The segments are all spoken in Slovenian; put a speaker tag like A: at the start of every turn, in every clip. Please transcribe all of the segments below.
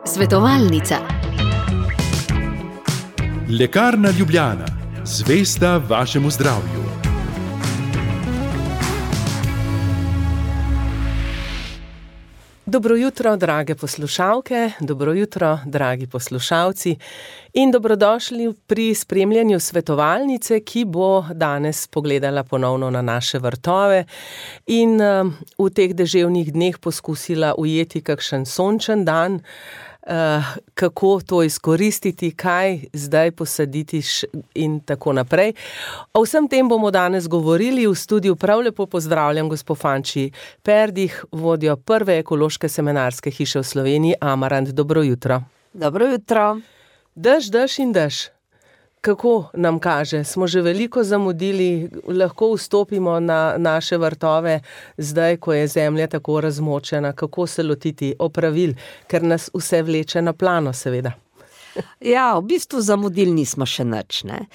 A: Svetovalnica.
B: Lekarna Ljubljana, zvesta vašemu zdravju.
C: Dobro jutro, drage poslušalke, dobro jutro, dragi poslušalci in dobrodošli pri spremljanju svetovalnice, ki bo danes pogledala ponovno na naše vrtove in v teh deževnih dneh poskusila ujeti kakšen sončen dan, kako to izkoristiti, kaj zdaj posaditi in tako naprej. O vsem tem bomo danes govorili. V studiu prav lepo pozdravljam gospo Fanči Perdih, vodjo prve ekološke semenarske hiše v Sloveniji, Amarant. Dobro jutro.
D: Dobro jutro.
C: Dež in dež. Kako nam kaže? Smo že veliko zamudili, lahko vstopimo na naše vrtove zdaj, ko je zemlja tako razmočena. Kako se lotiti opravil, ker nas vse vleče na plano, seveda.
D: Ja, v bistvu zamudili nismo še nič, ne.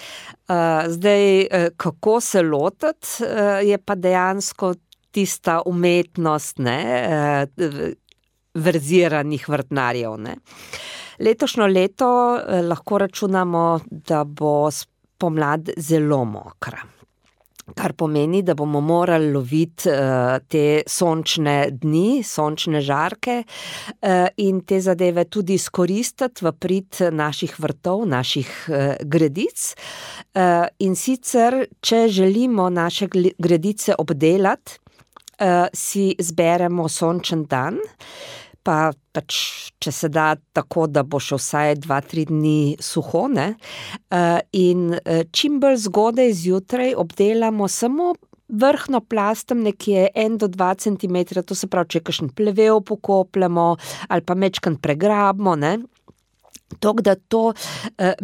D: Zdaj, kako se lotiti, je pa dejansko tista umetnost, ne, verziranih vrtnarjev, ne. Letošnjo leto lahko računamo, da bo pomlad zelo mokra, kar pomeni, da bomo morali loviti te sončne dni, sončne žarke in te zadeve tudi izkoristiti v prid naših vrtov, naših gredic. In sicer, če želimo naše gredice obdelati, si zberemo sončen dan, pa pač, če se da tako, da bo še vsaj 2-3 dni suho, ne, in čim bolj zgodaj zjutraj obdelamo samo vrhno plastem nekje 1 do 2 centimetra, to se pravi, če kakšen plevel pokopljamo ali pa mečkan pregrabimo, ne. Tako da to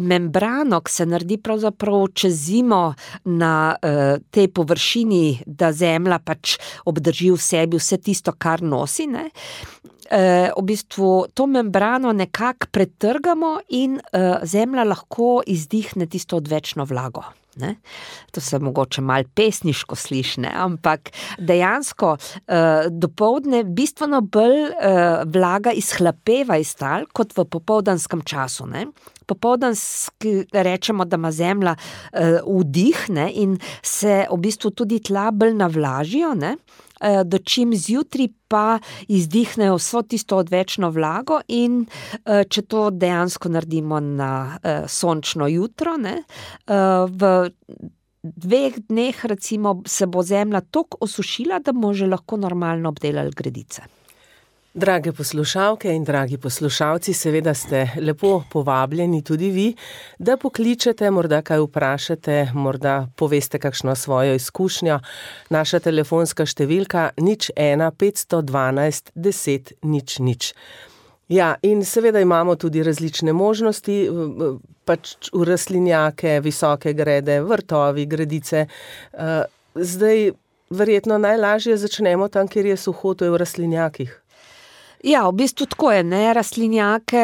D: membrano, ki se naredi pravzaprav čez zimo na tej površini, da zemlja pač obdrži v sebi vse tisto, kar nosi, ne, v bistvu to membrano nekako pretrgamo in zemlja lahko izdihne tisto odvečno vlago. Ne? To se mogoče malo pesniško sliši, ne? Ampak dejansko dopoldne bistveno bolj vlaga izhlapeva iz tal kot v popoldanskem času. Ne? Popoldanski rečemo, da ima zemlja vdih, ne? In se v bistvu tudi tla bolj navlažijo, ne? Dočim zjutraj pa izdihnejo vso tisto odvečno vlago in če to dejansko naredimo na sončno jutro, ne, v 2 dneh recimo se bo zemlja toliko osušila, da bomo že lahko normalno obdelali gredice.
C: Drage poslušalke in dragi poslušalci, seveda ste lepo povabljeni tudi vi, da pokličete, morda kaj vprašate, morda poveste kakšno svojo izkušnjo. Naša telefonska številka 01 512 10 00. Ja, in seveda imamo tudi različne možnosti, pač v rastlinjake, visoke grede, vrtovi, gredice. Zdaj verjetno najlažje začnemo tam, kjer je suho, to je v rastlinjakih.
D: Ja, v bistvu tako je, ne, rastlinjake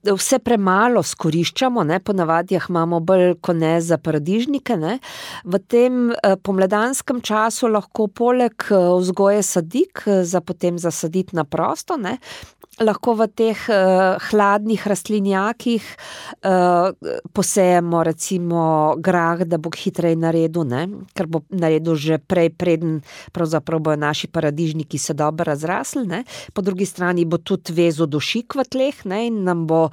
D: vse premalo skoriščamo, ne, ponavadi jih imamo bolj kot ne za paradižnike, ne. V tem pomladanskem času lahko poleg vzgoje sadik za potem zasaditi na prosto, ne, lahko v teh hladnih rastlinjakih posejemo recimo grah, da bo hitreje naredil, ne, ker bo naredil že prej, preden pravzaprav bojo naši paradižniki se dobro razrasli, ne. Po drugi strani bo tudi vezal dušik v tleh, ne, in nam bo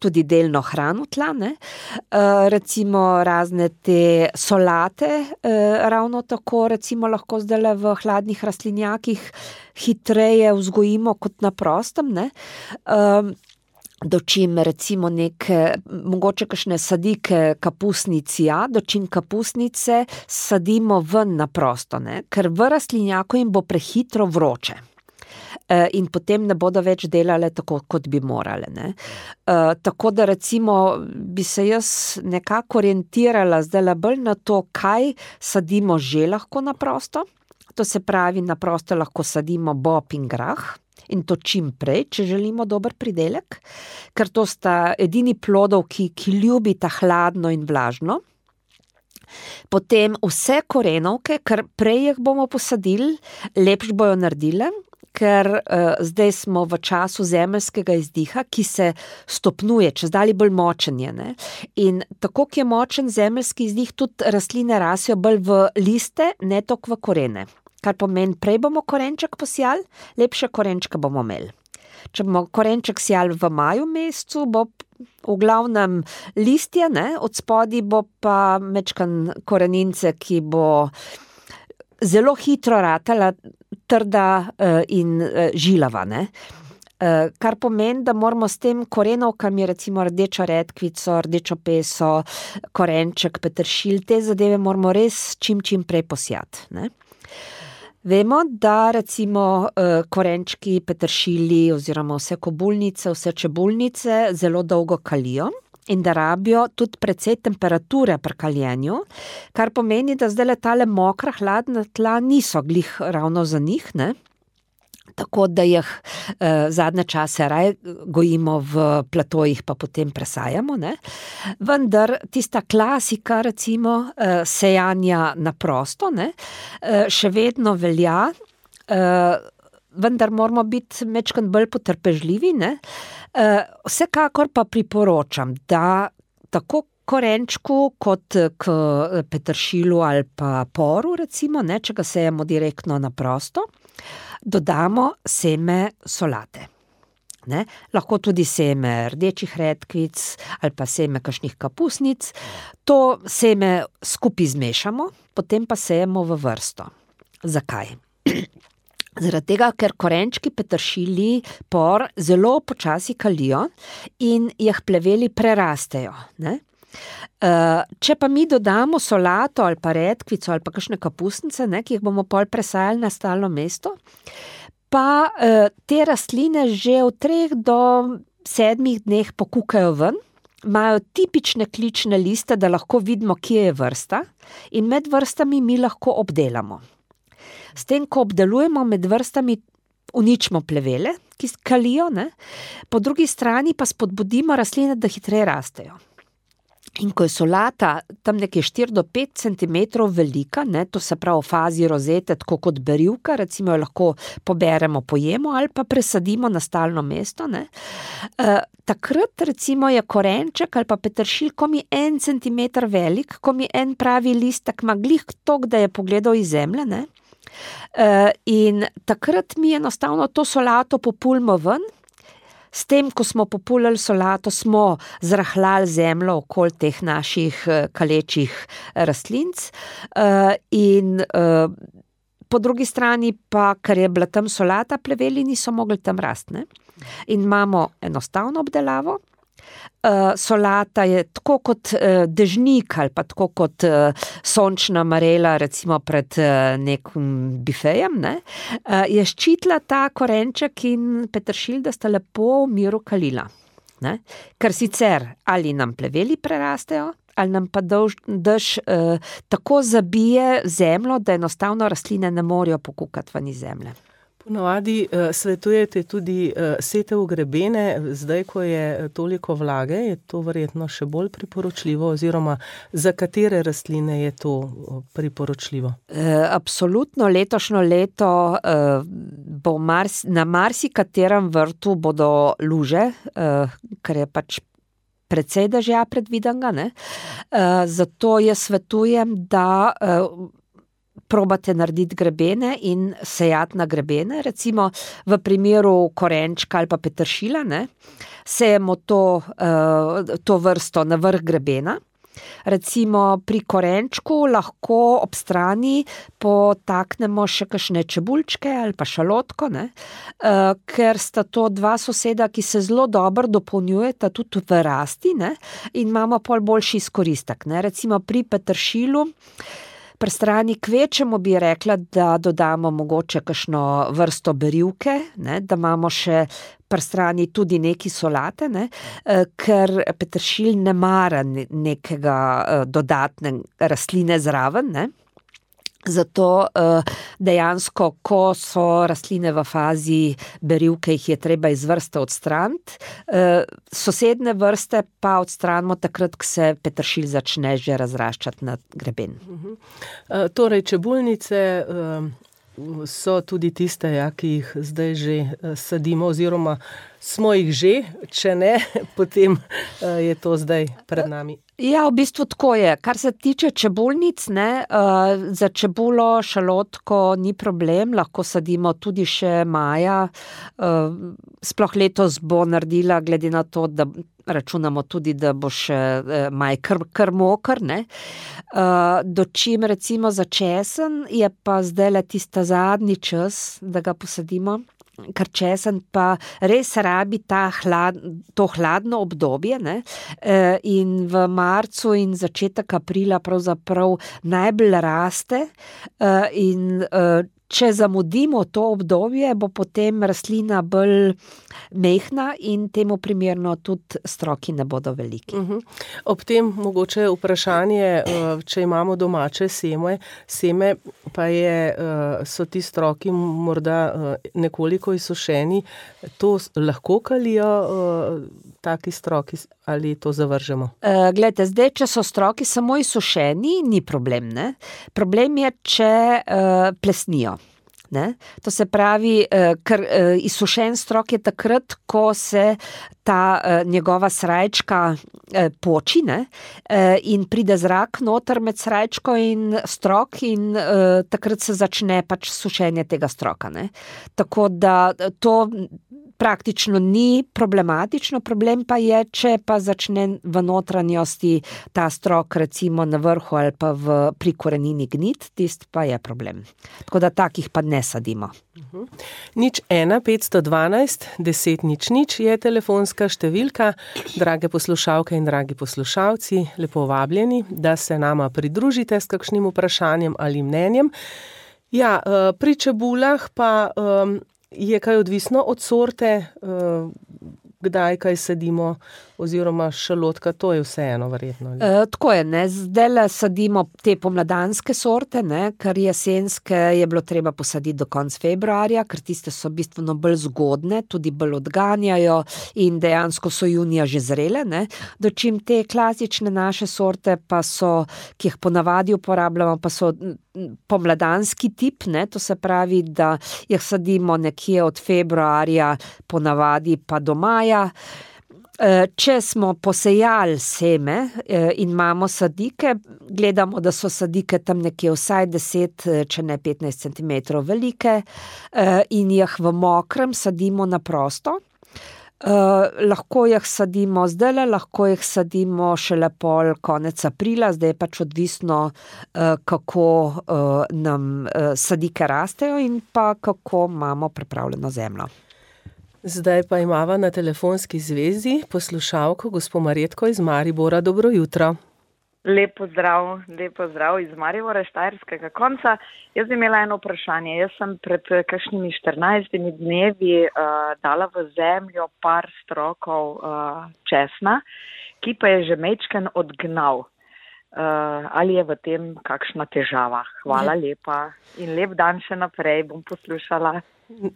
D: tudi delno hranil tla, ne. Recimo razne te solate, ravno tako recimo lahko zdajle v hladnih rastlinjakih hitreje vzgojimo kot na prostem, ne. Dočim recimo neke, mogoče kakšne sadike kapusnic, ja, dočim kapusnice sadimo ven na prosto, ne, ker v rastlinjaku jim bo prehitro vroče. In potem ne bodo več delale tako, kot bi morale, ne. Tako da recimo bi se jaz nekako orientirala zdajle bolj na to, kaj sadimo že lahko na prosto. To se pravi, na prosto lahko sadimo bob in grah. In to čim prej, če želimo dober pridelek, ker to sta edini plodovki, ki ljubita hladno in vlažno. Potem vse korenovke, ker prej jih bomo posadili, lepš bojo naredile, ker zdaj smo v času zemeljskega izdiha, ki se stopnjuje, čezdalje bolj močen je, ne. In tako, ki je močen zemeljski izdih, tudi rastline rasejo bolj v liste, ne toliko v korene. Kar pomeni, prej bomo korenček posijali, lepše korenčke bomo imeli. Če bomo korenček sijali v maju mesecu, bo v glavnem listje, ne, od spodaj bo pa mečkan korenince, ki bo zelo hitro ratala, trda in žilava, ne. Kar pomeni, da moramo s tem korenovkami, recimo rdečo redkvico, rdečo peso, korenček, peteršilj, te zadeve moramo res čim prej posijati, ne. Vemo, da recimo korenčki, peteršilji oziroma vse kobulnice, vse čebulnice zelo dolgo kalijo in da rabijo tudi precej temperature pri kaljenju, kar pomeni, da zdaj tale mokra, hladna tla niso glih ravno za njih, ne. Tako da jih zadnje čase raje gojimo v platojih, pa potem presajamo, ne. Vendar tista klasika, recimo, sejanja na prosto, ne, še vedno velja, vendar moramo biti mečkan bolj potrpežljivi, ne. Vsekakor pa priporočam, da tako korenčku kot k peteršilu ali pa poru, recimo, ne, če ga sejemo direktno na prosto, dodamo seme solate. Ne? Lahko tudi seme rdečih redkvic ali pa seme kakšnih kapusnic. To seme skupaj zmešamo, potem pa sejemo v vrsto. Zakaj? Zaradi tega, ker korenčki, peteršilji, por zelo počasi kalijo in jih pleveli prerastejo, ne? Če pa mi dodamo solato ali pa redkvico ali pa kakšne kapusnice, ne, ki jih bomo pol presajali na stalno mesto, pa te rastline že v 3 do 7 dneh pokukajo ven, imajo tipične klične liste, da lahko vidimo, kje je vrsta, in med vrstami mi lahko obdelamo. S tem, ko obdelujemo med vrstami, uničimo plevele, ki kalijo, ne, po drugi strani pa spodbudimo rastline, da hitreje rastejo. In ko je solata tam nekje 4 do 5 centimetrov velika, ne, to se pravi v fazi rozete, tako kot berivka, recimo jo lahko poberemo, pojemo ali pa presadimo na stalno mesto, ne. Takrat recimo je korenček ali pa peteršilj, ko mi 1 centimeter velik, ko mi en pravi listek ima glih toliko, da je pogledal iz zemlje, ne. In takrat mi enostavno to solato populimo ven. S tem, ko smo populili solato, smo zrahljali zemljo okoli teh naših kalečih rastlinc in po drugi strani pa, ker je bila tam solata, pleveli niso mogli tam rasti, ne. In imamo enostavno obdelavo. Solata je tako kot dežnik ali pa tako kot sončna marela, recimo pred nekim bifejem, ne, je ščitila ta korenček in peteršilj, da sta lepo v miru kalila, ne. Ker sicer ali nam pleveli prerastejo, ali nam pa dež tako zabije zemljo, da enostavno rastline ne morejo pokukati ven iz zemlje.
C: Ponavadi svetujete tudi setev v grebene, zdaj, ko je toliko vlage, je to verjetno še bolj priporočljivo, oziroma za katere rastline je to priporočljivo?
D: Absolutno, letošnjo leto bo na marsikaterem vrtu bodo luže, ker je pač precej dežja predvidenega, ne. Zato jaz svetujem, da probate narediti grebene in sejati na grebene, recimo v primeru korenčka ali pa peteršilja, ne, sejemo to vrsto na vrh grebena. Recimo pri korenčku lahko ob strani potaknemo še kakšne čebulčke ali pa šalotko, ne, ker sta to 2 soseda, ki se zelo dobro dopolnjujeta tudi v rasti, ne, in imamo pol boljši izkoristek, ne. Recimo pri peteršilju pri strani kvečemu bi rekla, da dodamo mogoče kakšno vrsto berivke, ne, da imamo še pri strani tudi neki solate, ne, ker peteršilj ne mara nekega dodatne rastline zraven, ne. Zato dejansko, ko so rastline v fazi berivke, jih je treba iz vrste odstraniti, sosedne vrste pa odstranimo takrat, ko se peteršilj začne že razraščati na greben.
C: Torej, čebulnice so tudi tiste, ki jih zdaj že sadimo oziroma smo jih že, če ne, potem je to zdaj pred nami.
D: Ja, v bistvu tako je. Kar se tiče čebulnic, ne, za čebulo, šalotko ni problem, lahko sadimo tudi še maja. Sploh letos bo naredila, glede na to, da računamo tudi, da bo še maj kar moker, ne. Dočim recimo za česen je pa zdajle tista zadnji čas, da ga posadimo. Ker česen pa res rabi to hladno obdobje, ne? In v marcu in začetek aprila pravzaprav najbolj raste in če zamudimo to obdobje, bo potem rastlina bolj mehna in temu primerno tudi stroki ne bodo veliki.
C: Ob tem mogoče vprašanje, če imamo domače seme, pa so ti stroki morda nekoliko izsušeni, to lahko kalijo taki stroki ali to zavržemo?
D: Glejte, zdaj, če so stroki samo izsušeni, ni problem, ne? Problem je, če plesnijo. Ne? To se pravi, ker izsušen strok je takrat, ko se ta njegova srajčka poči, ne? In pride zrak noter med srajčko in strok in takrat se začne pač sušenje tega stroka. Ne? Tako da to praktično ni problematično, problem pa je, če pa začne v notranjosti ta strok recimo na vrhu ali pa pri korenini gnit, tist pa je problem. Tako da takih pa ne sadimo.
C: 01 512 10 00 je telefonska številka. Drage poslušalke in dragi poslušalci, lepo vabljeni, da se nama pridružite s kakšnim vprašanjem ali mnenjem. Ja, pri čebulah pa je kaj odvisno od sorte, kdaj kaj sadimo, oziroma šalotka, to je vseeno verjetno.
D: Tako je, ne, zdajle sadimo te pomladanske sorte, ne, ker jesenske je bilo treba posaditi do konca februarja, ker tiste so bistveno bolj zgodne, tudi bolj odganjajo in dejansko so junija že zrele, ne. Dočim te klasične naše sorte pa so, ki jih ponavadi uporabljamo, pa so pomladanski tip, ne, to se pravi, da jih sadimo nekje od februarja ponavadi pa do maja. Če smo posejali seme in imamo sadike, gledamo, da so sadike tam nekje vsaj 10, če ne 15 centimetrov velike in jih v mokrem sadimo na prosto. Lahko jih sadimo zdajle, lahko jih sadimo šele pol konec aprila, zdaj je pač odvisno, kako nam sadike rastejo in pa kako imamo pripravljeno zemljo.
C: Zdaj pa imava na telefonski zvezi poslušalko gospo Marjetko iz Maribora. Dobro jutro.
A: Lep pozdrav iz Maribora, štajerskega konca. Jaz bi imela eno vprašanje. Jaz sem pred kakšnimi 14 dnevi dala v zemljo par strokov česna, ki pa je že majčken odgnal. Ali je v tem kakšna težava? Hvala lepa in lep dan še naprej, bom poslušala.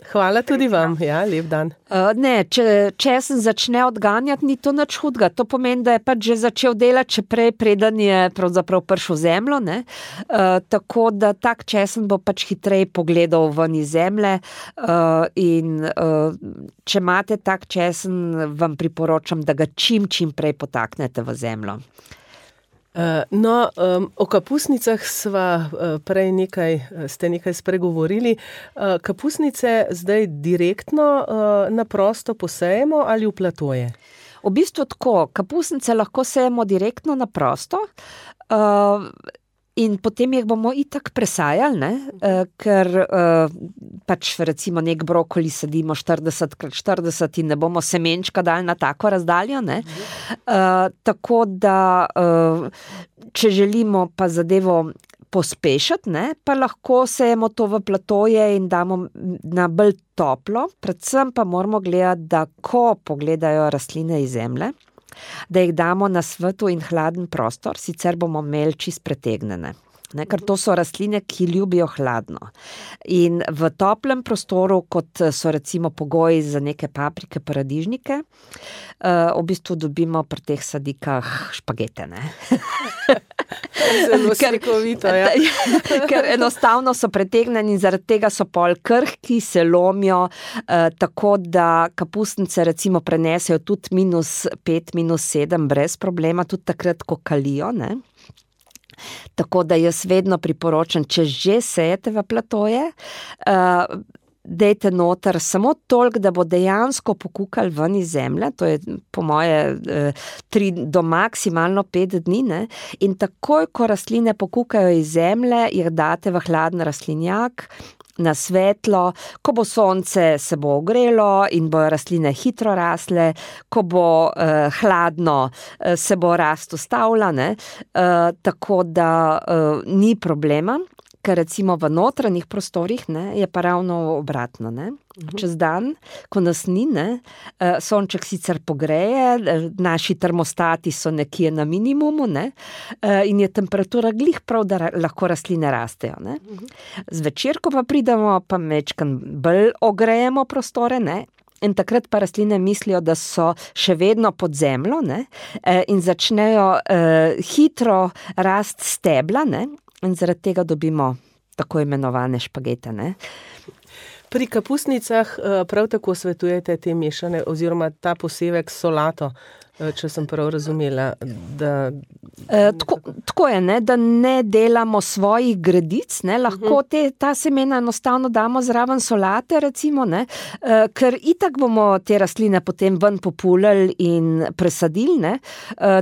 C: Hvala tudi vam, ja, lep dan.
D: Ne, če česen začne odganjati, ni to nič hudega. To pomeni, da je pač že začel delati, če prej preden je pravzaprav prišel zemljo, ne. Tako da tak česen bo pač hitreje pogledal ven iz zemlje in če imate tak česen, vam priporočam, da ga čim prej potaknete v zemljo.
C: O kapusnicah sva prej ste nekaj spregovorili. Kapusnice zdaj direktno na prosto posejemo ali v platoje?
D: V bistvu tako, kapusnice lahko sejemo direktno na prosto in potem jih bomo itak presajali, ne? Ker pač recimo nek brokoli sadimo 40x40 in ne bomo semenčka dali na tako razdaljo, ne? Tako da, če želimo pa zadevo pospešiti, ne, pa lahko sejemo to v platoje in damo na bolj toplo, predvsem pa moramo gledati, da ko pogledajo rastline iz zemlje, da jih damo na svetlo in hladen prostor, sicer bomo imeli čist pretegnjene. Ker to so rastline, ki ljubijo hladno. In v toplem prostoru, kot so recimo pogoji za neke paprike, paradižnike, v bistvu dobimo pri teh sadikah špagete, ne.
C: Zelo slikovito, ja.
D: Ker enostavno so pretegnjeni in zaradi tega so pol krhki, se lomijo, tako da kapustnice recimo prenesejo tudi -5, -7 brez problema, tudi takrat, ko kalijo, ne. Tako da jaz vedno priporočam, če že sejete v platoje, dejte noter samo toliko, da bo dejansko pokukal ven iz zemlje, to je po moje 3 do maksimalno 5 dni, ne? In takoj, ko rastline pokukajo iz zemlje, jih date v hladen rastlinjak, na svetlo, ko bo sonce, se bo ogrelo in bojo rastline hitro rasle, ko bo hladno, se bo rast ustavila, ne? Tako da ni problema, ker recimo v notranjih prostorih, ne, je pa ravno obratno, ne. Čez dan, ko nas ni, ne, sonček sicer pogreje, naši termostati so nekje na minimumu, ne, in je temperatura glih prav, da lahko rastline rastejo, ne. Zvečer, ko pa pridemo, pa majčkeno bolj ogrejemo prostore, ne, in takrat pa rastline mislijo, da so še vedno pod zemljo, ne, in začnejo hitro rast stebla, ne, in zaradi tega dobimo tako imenovane špagete, ne.
C: Pri kapustnicah prav tako svetujete te mešane oziroma ta posevek s solato, če sem prav razumela, da...
D: Tako je, ne, da ne delamo svojih gredic, ne, lahko ta semena enostavno damo zraven solate, recimo, ne, ker itak bomo te rastline potem ven populali in presadili, ne,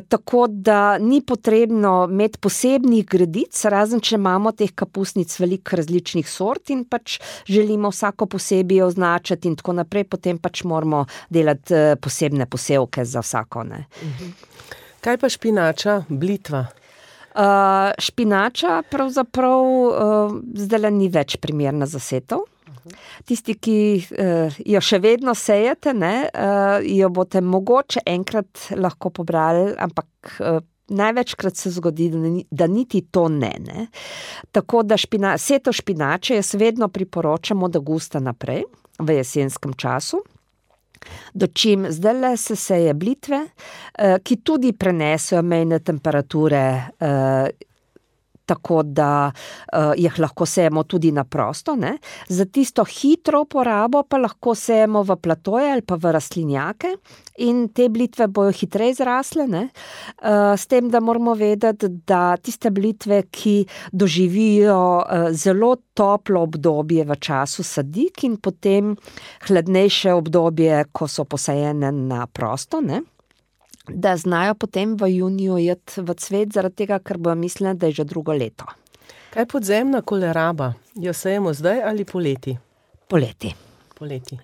D: tako da ni potrebno imeti posebnih gredic, razen če imamo teh kapustnic veliko različnih sort in pač želimo vsako posebej označiti in tako naprej, potem pač moramo delati posebne posevke za vsako. Ne.
C: Kaj pa špinača, blitva?
D: Špinača pravzaprav zdajle ni več primerna za setev. Tisti, ki jo še vedno sejete, ne, jo boste mogoče enkrat lahko pobrali, ampak največkrat se zgodi, da niti to ne. Tako da setev špinače jaz vedno priporočam od avgusta naprej, v jesenskem času. Dočim zdajle se seje blitve, ki tudi prenesejo mejne temperature, tako da jih lahko sejemo tudi na prosto, ne. Za tisto hitro uporabo pa lahko sejemo v platoje ali pa v rastlinjake in te blitve bojo hitreje zrasle, ne. S tem, da moramo vedeti, da tiste blitve, ki doživijo zelo toplo obdobje v času sadik in potem hladnejše obdobje, ko so posajene na prosto, ne, da znajo potem v juniju iti v cvet, zaradi tega, ker bojo mislili, da je že drugo leto.
C: Kaj podzemna koleraba? Jo sejemo zdaj ali poleti?
D: Poleti.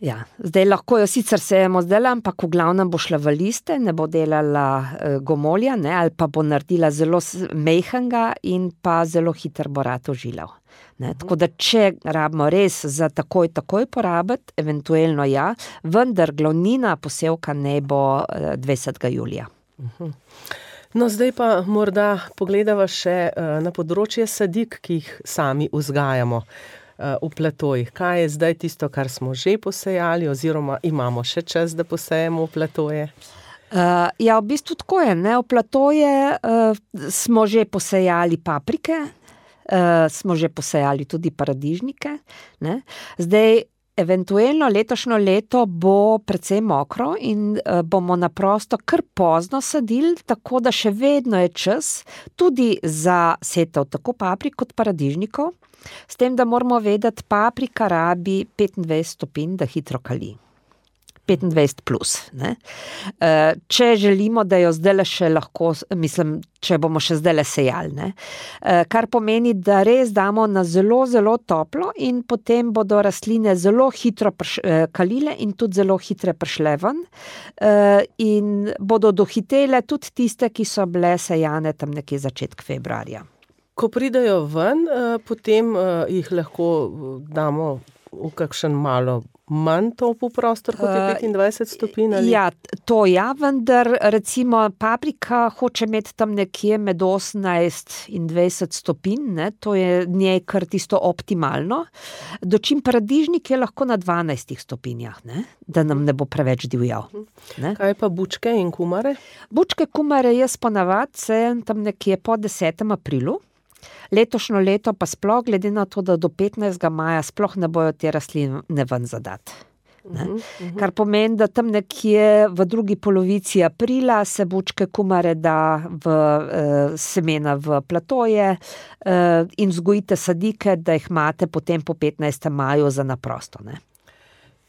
D: Ja, zdaj lahko jo sicer sejemo zdaj, ampak v glavnem bo šla v liste, ne bo delala gomolja, ne, ali pa bo naredila zelo mehkega in pa zelo hiter bo rad ožilal. Ne, tako da če rabimo res za takoj porabiti, eventualno ja, vendar glavnina posevka ne bo 20. julija.
C: No, zdaj pa morda pogledava še na področje sadik, ki jih sami vzgajamo v platojih. Kaj je zdaj tisto, kar smo že posejali oziroma imamo še čas, da posejemo v platoje?
D: Ja, v bistvu tako je, ne, v platoje smo že posejali paprike, smo že posejali tudi paradižnike, ne. Zdaj, eventualno letošnjo leto bo precej mokro in bomo na prosto kar pozno sadili, tako da še vedno je čas tudi za setev tako paprik kot paradižnikov, s tem, da moramo vedeti, paprika rabi 25 stopinj, da hitro kali. 25 plus, ne. Če želimo, da jo zdajle še lahko, mislim, če bomo še zdajle sejali, ne. Kar pomeni, da res damo na zelo, zelo toplo in potem bodo rastline zelo hitro kalile in tudi zelo hitre prišle ven in bodo dohitele tudi tiste, ki so bile sejane tam nekje začetek februarja.
C: Ko pridejo ven, potem jih lahko damo v kakšen malo manj topel prostor, kot je 25 stopinj? Ali?
D: Ja, to vendar recimo paprika hoče imeti tam nekje med 18 in 20 stopinj, ne? To je njej kar tisto optimalno. Dočim paradižnik je lahko na 12 stopinjah, ne? Da nam ne bo preveč divjal. Ne?
C: Kaj pa bučke in kumare?
D: Bučke, kumare jaz ponavadi sejem tam nekje po 10. aprilu. Letošnjo leto pa sploh, glede na to, da do 15. maja sploh ne bojo te rastline ven zadati. Kar pomeni, da tam nekje v drugi polovici aprila se bučke, kumare da v semena v platoje in vzgojite sadike, da jih imate potem po 15. maju za naprosto, ne.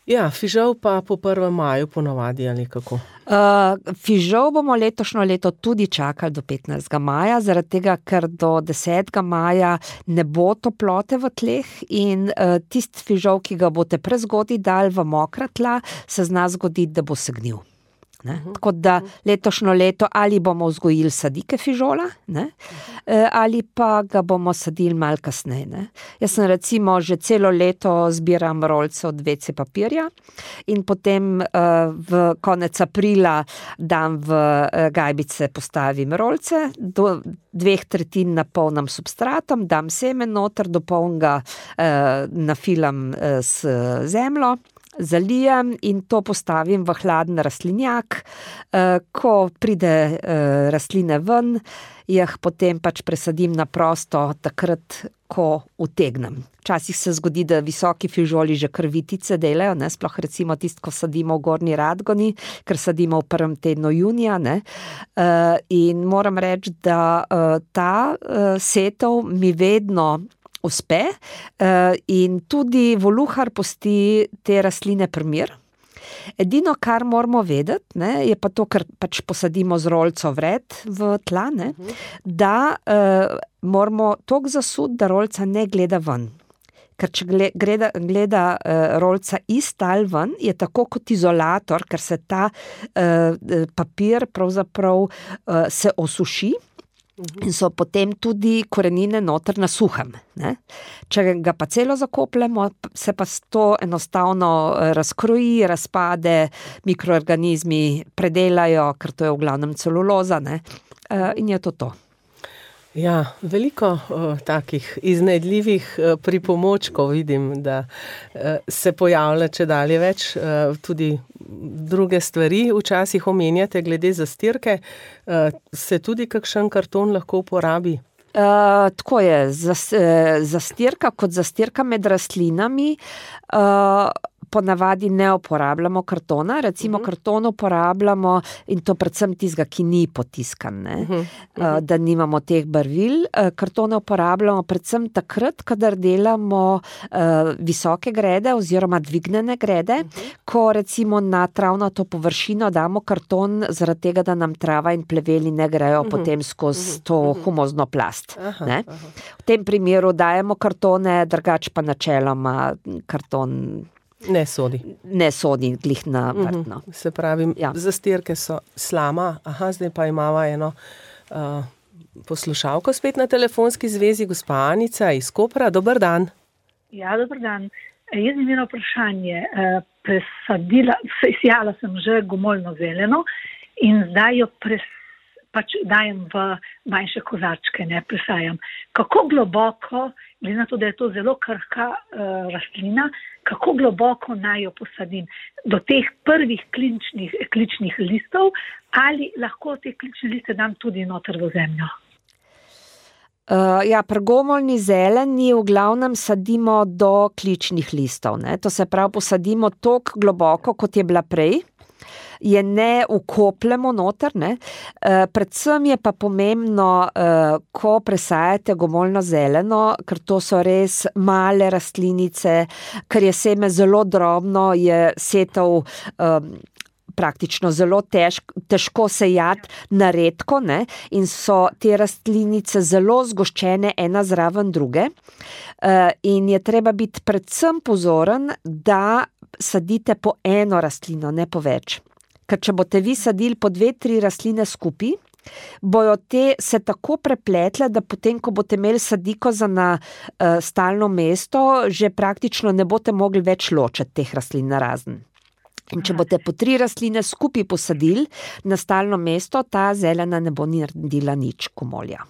C: Ja, fižol pa po 1. maju ponavadi ali kako?
D: Fižol bomo letošnjo leto tudi čakali do 15. maja, zaradi tega, ker do 10. maja ne bo toplote v tleh in tisti fižol, ki ga boste prezgodaj dali v mokra tla, se zna zgoditi, da bo se gnil. Ne? Tako da letošnjo leto ali bomo vzgojili sadike fižola, ne? Ali pa ga bomo sadili malo kasneje. Ne? Jaz sem recimo že celo leto zbiram rolce od WC papirja in potem v konec aprila dam v gajbice, postavim rolce, do 2/3 napolnim substratom, dam semen noter, do polnega nafilam s zemljo, zalijem in to postavim v hladen rastlinjak. Ko pride rastline ven, jih potem pač presadim na prosto takrat, ko utegnem. Včasih se zgodi, da visoki fižoli že krvitice delajo, ne, sploh recimo tisto, ko sadimo v Gornji Radgoni, ker sadimo v 1. tednu junija, ne. In moram reči, da ta setev mi vedno uspe in tudi voluhar pusti te rastline pri miru. Edino, kar moramo vedeti, ne, je pa to, ker pač posadimo z rolco vred v tla, ne, da moramo toliko zasuti, da rolca ne gleda ven. Ker če gleda rolca iz tal ven, je tako kot izolator, ker se ta papir pravzaprav se osuši, in so potem tudi korenine noter na suhem. Ne? Če ga pa celo zakopljemo, se pa to enostavno razkroji, razpade, mikroorganizmi predelajo, ker to je v glavnem celuloza, ne? In je to.
C: Ja, veliko takih iznajdljivih pripomočkov vidim, da se pojavlja čedalje več, tudi druge stvari včasih omenjate glede zastirke. Se tudi kakšen karton lahko uporabi?
D: Tako je, zastirka kot zastirka med rastlinami, ponavadi ne uporabljamo kartona, recimo karton uporabljamo in to predvsem tistega, ki ni potiskan, ne? Da nimamo teh barvil. Kartone uporabljamo predvsem takrat, kadar delamo visoke grede oziroma dvignjene grede, ko recimo na travnato površino damo karton zaradi tega, da nam trava in pleveli ne grejo potem skozi to humozno plast. Ne? V tem primeru dajemo kartone, drugače pa načeloma karton
C: ne sodi.
D: Ne sodi glih na vrtno.
C: Se pravi, zastirke so slama. Zdaj pa imava eno poslušalko spet na telefonski zvezi, gospa Anica iz Kopra. Dober dan.
E: Ja, dober dan. Jaz imam eno vprašanje. Sejala sem že gomoljno zeleno in zdaj jo dajem v manjše kozarčke, ne presajam. Kako globoko, glede na to, da je to zelo krhka rastlina, kako globoko naj jo posadim? Do teh prvih kličnih listov ali lahko te klične liste dam tudi noter v zemljo?
D: Pri gomoljni zeleni v glavnem sadimo do kličnih listov, ne? To se pravi, posadimo toliko globoko, kot je bila prej, je ne vkopljemo noter, ne. Predvsem je pa pomembno, ko presajate gomoljno zeleno, ker to so res male rastlinice, ker je seme zelo drobno, je setev praktično zelo težko sejati na redko, ne, in so te rastlinice zelo zgoščene ena zraven druge, in je treba biti predvsem pozoren, da sadite po eno rastlino, ne po več. Ker če boste vi sadili po 2-3 rastline skupaj, bojo te se tako prepletle, da potem, ko boste imeli sadiko za na stalno mesto, že praktično ne boste mogli več ločiti teh rastlin narazen. In če boste po 3 rastline skupaj posadili na stalno mesto, ta zelena ne bo naredila nič komolja.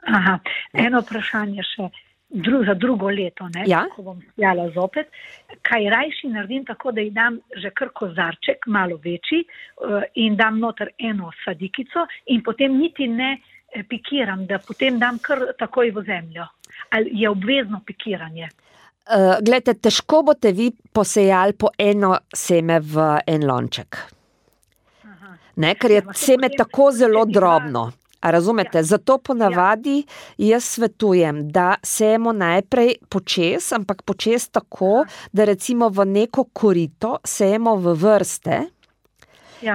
E: Aha, eno vprašanje še. Za drugo leto, ne, ko bom sjala zopet, kaj rajši naredim tako, da ji dam že kar kozarček, malo večji, in dam noter eno sadikico in potem niti ne pikiram, da potem dam kar takoj v zemljo. Ali je obvezno pikiranje?
D: Glejte, težko boste vi posejali po eno seme v en lonček. Ne, ker je seme tako zelo drobno. A razumete? Zato ponavadi jaz svetujem, da sejemo najprej počes, ampak počes tako, da recimo v neko korito sejemo v vrste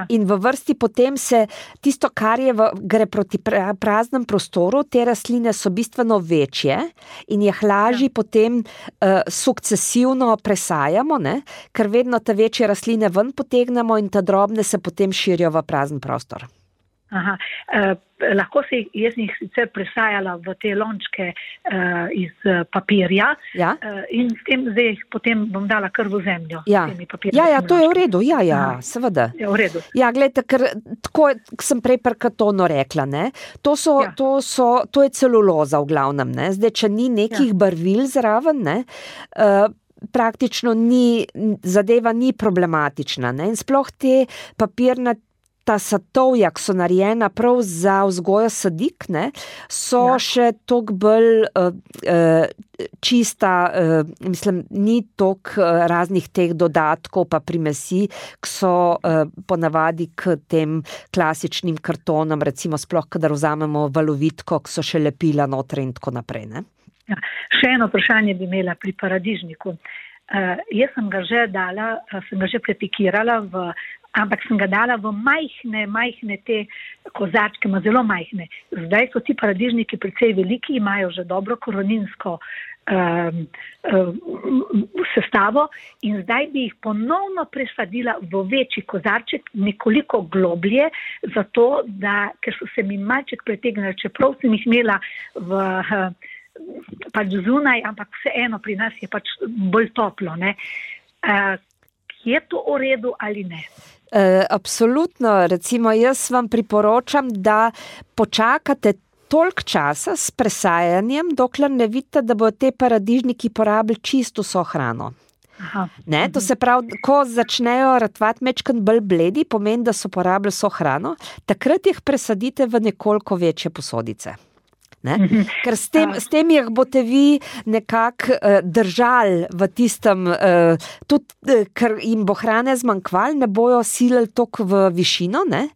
D: in v vrsti potem se tisto, kar gre proti praznem prostoru, te rastline so bistveno večje in jih lažje potem sukcesivno presajamo, ne? Ker vedno te večje rastline ven potegnemo in te drobne se potem širijo v prazen prostor.
E: Aha, lahko jaz jih sicer presajala v te lončke iz papirja in s tem zdaj jih potem bom dala kar v zemljo.
D: Ja, to je v redu, seveda.
E: Je v redu.
D: Ja, gledajte, ker tako sem prej pri kartonu rekla, ne, to je celuloza v glavnem, ne, zdaj, če ni nekih barvil zraven, ne, praktično zadeva ni problematična, ne, in sploh te papirnate ta satovja, ki so narejena prav za vzgojo sadik, ne, so še toliko bolj čista, mislim, ni toliko raznih teh dodatkov pa primesi, ki so ponavadi k tem klasičnim kartonom, recimo sploh, kadar vzamemo valovitko, ki so še lepila noter in tako naprej, ne.
E: Ja, še eno vprašanje bi imela pri paradižniku. Jaz sem ga že prepikirala ampak sem ga dala v majhne te kozarčke, zelo majhne. Zdaj so ti paradižniki precej veliki, imajo že dobro koreninsko sestavo in zdaj bi jih ponovno presadila v večji kozarček, nekoliko globlje, zato da, ker so se mi malček pretegnili, čeprav sem jih imela pač zunaj, ampak vseeno pri nas je pač bolj toplo, ne. Je to v redu ali ne?
D: Absolutno, recimo jaz vam priporočam, da počakate toliko časa s presajanjem, dokler ne vidite, da bodo te paradižniki porabili čisto vso hrano. Ne, to se pravi, ko začnejo ratvati mečkan bolj bledi, pomeni, da so porabili vso hrano, takrat jih presadite v nekoliko večje posodice. Ne? Ker s tem jih boste vi nekako držali v tistem, tudi ker jim bo hrane zmanjkvalo, ne bojo silili toliko v višino, ne?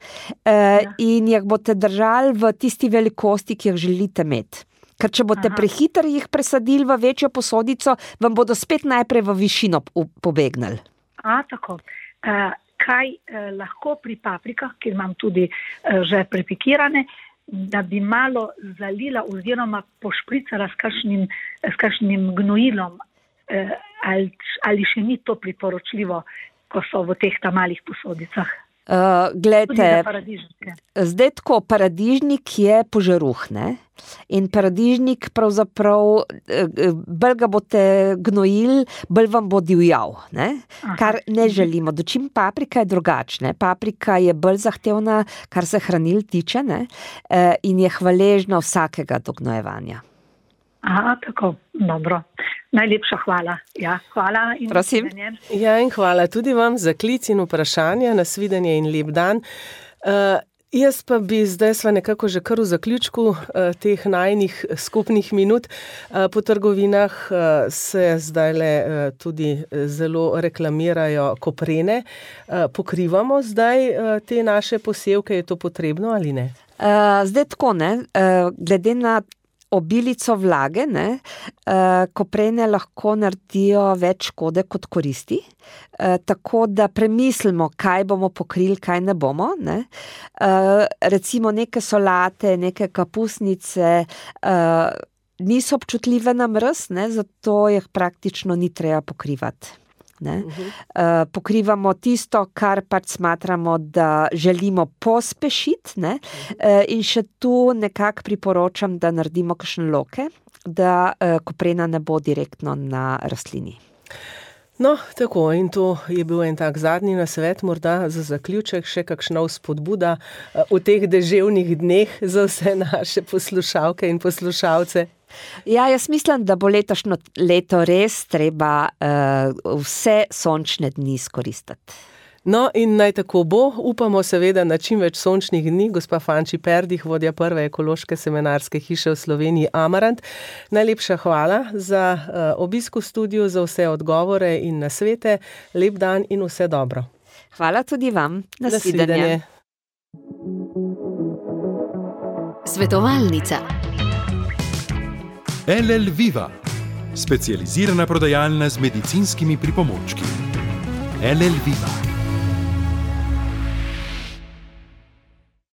D: In jih boste držali v tisti velikosti, ki jih želite imeti. Ker če boste prehitro jih presadili v večjo posodico, vam bodo spet najprej v višino pobegnili.
E: Tako. Kaj lahko pri paprikah, ki imam tudi že prepikirane, da bi malo zalila oziroma pošpricala s kakšnim gnojilom, ali še ni to priporočljivo, ko so v teh malih posodicah?
D: Glejte, zdaj tako, paradižnik je požaruh, ne? In paradižnik pravzaprav, bolj ga boste gnojili, bolj vam bo divjal, ne? Kar ne želimo. Dočim paprika je drugačna. Paprika je bolj zahtevna, kar se hranil tiče, ne? In je hvaležna vsakega dognojevanja.
E: Tako, dobro. Najlepša hvala. Ja, hvala in
D: prosim.
C: Ja, in hvala tudi vam za klic in vprašanja, nasvidenje in lep dan. Jaz pa bi zdaj sva nekako že kar v zaključku teh najnih skupnih minut. Po trgovinah se zdajle tudi zelo reklamirajo koprene. Pokrivamo zdaj te naše posevke, je to potrebno ali ne?
D: Zdaj tako, ne, glede na obilico vlage, ne, koprene lahko naredijo več škode kot koristi, tako da premislimo, kaj bomo pokrili, kaj ne bomo, ne. Recimo neke solate, neke kapusnice niso občutljive na mraz, ne, zato jih praktično ni treba pokrivati. ne. Pokrivamo tisto, kar pač smatramo, da želimo pospešiti, ne. In še tu nekako priporočam, da naredimo kakšne loke, da koprena ne bo direktno na rastlini.
C: No, tako, in to je bil en tak zadnji nasvet, morda za zaključek še kakšna vzpodbuda v teh deževnih dneh za vse naše poslušalke in poslušalce.
D: Ja, jaz mislim, da bo letošnjo leto res treba vse sončne dni izkoristiti.
C: No, in naj tako bo, upamo seveda na čim več sončnih dni. Gospa Fanči Perdih, vodja prve ekološke semenarske hiše v Sloveniji Amarant. Najlepša hvala za obisk v studiu, za vse odgovore in nasvete. Lep dan in vse dobro.
D: Hvala tudi vam. Nasvidenje.
B: Svetovalnica. LL Viva, specializirana prodajalna z medicinskimi pripomočki. LL Viva.